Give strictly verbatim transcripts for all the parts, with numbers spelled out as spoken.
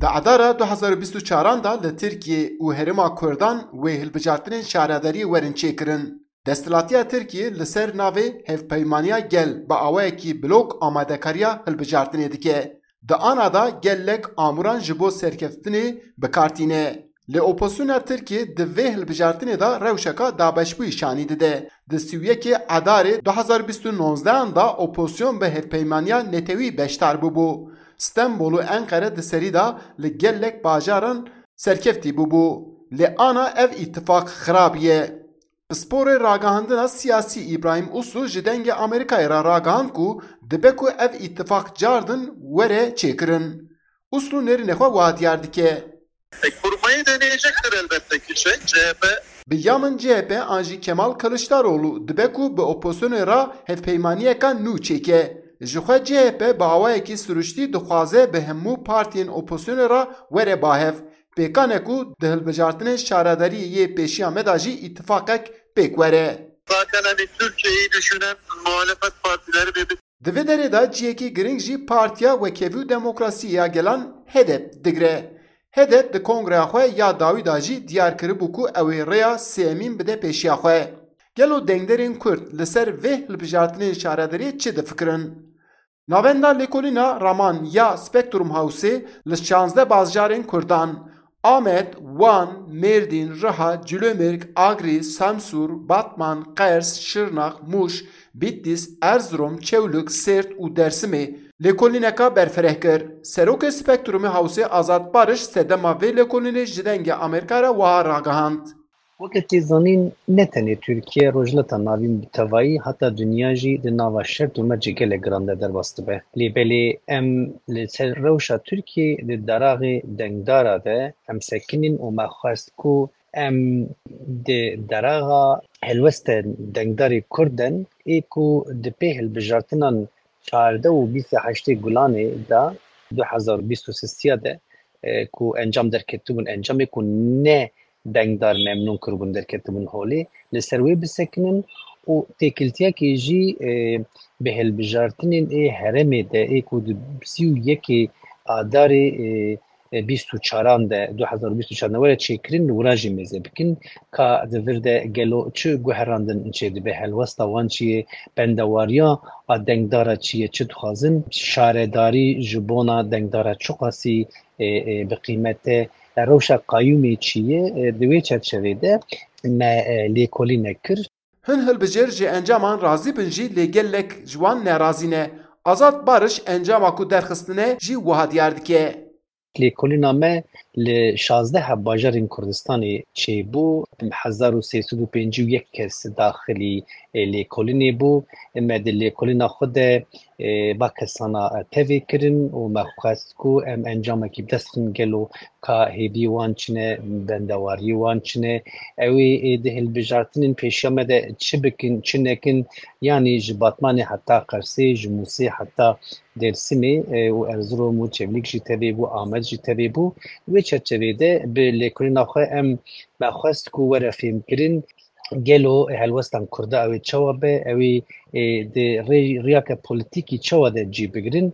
Di Edara du hezar û bîst û çaran de li Tirkiyê û herêma Kurdan wê hilbijartinên şaredariyê werin çêkirin. Desthilatiya Tirkiyê li ser navê Hevpeymaniya Gel bi awayekî blok amadekariya hilbijartinê dike. Di ana de gelek amûran ji bo serkeftinê bi kar tîne. Lê opozisyona Tirkiyê di vê hilbijartinê de rewşeka dabeşbûyî şanî dide. Di sî û yekê Edarê du hezar bîst û nozdehan de opozisyon bi Hevpeymaniya Netewî beşdar bûbû. Stenbol û Enqere di serî de li gelek bajaran serkeftî bûbû. Lê ana ev îtifaq xirabiye. Pisporê ragihandina siyasî Îbrahîm Uslu ji Dengê Amerîkayê re ragihand ku dibe ku ev îtifaq cardin were çêkirin. Uslu nêrînê xwe wiha diyar dike. E, kurmayı deneyecektir elbette ki şey, C H P. Bi ya min C H P an jî Kemal Kılıçdaroğlu dibe ku bi opozisyonê re hevpeymaniyeka nû çêke. Ji xwe C H P bi awayekî siruştî dixwaze bi hemû partiyên opozisyonê re were ba hev. Pêkan e ku di hilbijartinên şaredariyê yê pêşiya me de jî îtifaqek pêk were. Zaten hani Türkiye'yi düşünen muhalefet partileri ve Di vê derê de cihekî girîng jî Partiya Wekhevî û Demokrasiyê ya Gelan, HEDEP, digire. HEDEP di kongreya xwe ya dawî de jî diyar kiribû ku ew ê rêya sêyemîn bide pêşiya xwe. Gelo dengderên Kurd li ser vê hilbijartinên şaredariyê çi difikirin? Navenda lêkolîna Raman ya Spectrum Houseê li şazdeh bajarên Kurdan, Amed, Wan, Mêrdîn, Riha, Cîlomêrg, Agrî, Semsûr, Batman, Qers, Şirnex, Mûş, Bîtlis, Erzirom, Çewlik, Sêrt û Dersimê lêkolîneka berfireh kir. Serokê Spektrumê Hewsê Azad Bariş sedema vê lêkolînê ji Dengê Amerîka re wiha ragihand. Weke tê zanîn, ne tenê Tirkiye, Rojhilata Navîn bi tevayî, heta dinya jî di nava şert û mercê gelek giran de derbas dibe. Lê belê em li ser rewşa Tirkiyê di daraxê dengdara de em sekinîn û me xwest ku em di daraxa helwestên dengdarê Kurd de, ê ku di pê hilbijartinan çardeh û bîst û heştê Gulanê de du hezar û bîst û sisiya de, e, ku encam derketibûn, encamê ku ne dengdar memnûn kiribûn derketibûn holê, li ser wê bisekinin û têkiltiyekê jî, e, bi hilbijartinên ê herêmê de ê ku di sî û yekê Adarê, e, e, bîst û çaran de, du hezar û bîst û çar ne were çêkirin, li wira jî mêze bikin, ka di vir de gelo çi guherandin çêdibe, helwesta wan çi ye, bendewariya a dengdara çi ye, çi dixwazin, şaredarî ji bona dengdara çiqasî, e, e, bi qîmet e, e, rewşa qayûmê çi ye, e, di wê çerçevê de me, e, lêkolînek kir. Hin hilbijêr ji encaman razî bin jî lê gelek ji wan nerazî ne. Azad Bariş encama ku derxistine jî wiha diyar dike. Lêkolîna me li şazdeh heb bajarên Kurdistanê çêbû. Hezar û sê sed û pêncî û yek kes daxilî, e, lêkolînê bû. Me di lêkolîna xwe de, e, va kesana, e, tevê kirin û me xwest ku em encamekî bi dest xin gelo ka hêviyê wan çi ne, bendewariyê wan çi ne. Ew ê, ê di hilbijartinên pêşiya me de çi bikin, çi nekin, yanî ji Batmanê heta Qersê, ji Mûsê heta Dêrsimê, e, û Erzirom û Çewlîg jî tevê bû, Amed jî tevê bû. Wê çerçevê de bi lêkolîna xwe em me xwest ku were fêmkirin, gelo helwestan Kurda ew ê çawa be, ew ê, e, di rê-, riyake polîtîkî çawa de cî bigirin.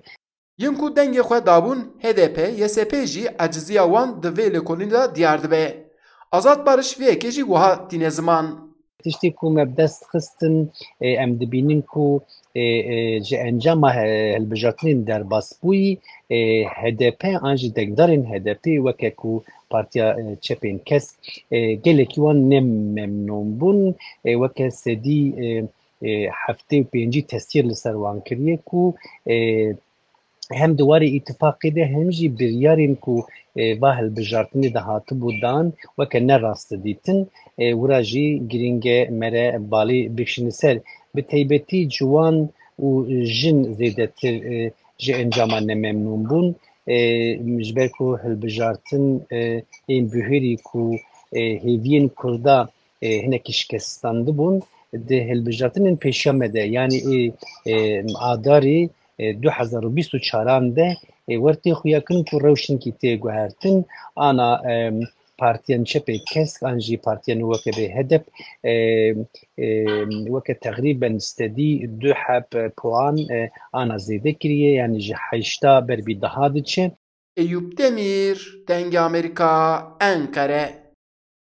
Yên ku dengê xwe dabûn H D P, Y S P jî eciziya wan di vê lêkolînê de diyar dibe. Azad Bariş vê yekê jî wiha tîne ziman. Tiştê ku me bi dest xistin, e, em dibînin ku, e, e, ji encama he-, hilbijartinên derbasbûyî, e, H D P an jî dengdarên H D P weke ku Partiya, e, Çepên Kesk, e, gelekî wan ne memnûn bûn. E, weke sedî, e, e, heftê û pêncî tesîr li ser wan kiriye ku, e, hem di warê îtifaqê de hem jî biryarên ku, e, va hilbijartinê de hatibû dan weke ne rast didîtin, e, wira jî girîng e mere balê bikişîne ser. Bi taybetî ciwan û jin zêdetir, e, ji encama nememnûn bûn. E, ji ber ku hilbijartin, e, ên buhêrî ku, e, hêviyên Kurda, e, hinekî şikestandibûn, di hilbijartinên pêşiya me de, yanî ê, e, Adarê, e, du hezar û bîst û çaran de, e, wer tê xuyakirin ku rewşinkî tê guhertin, ana, e, partiyên çepê kesk an jî partiyên weke bê H D P, e, e, weke teqrîben sedî du heb puan, e, ana zêde kiriye, yanî ji heşta ber bî deha diçe. Eyûp Demîr, Dengê Amerîka, Enqere.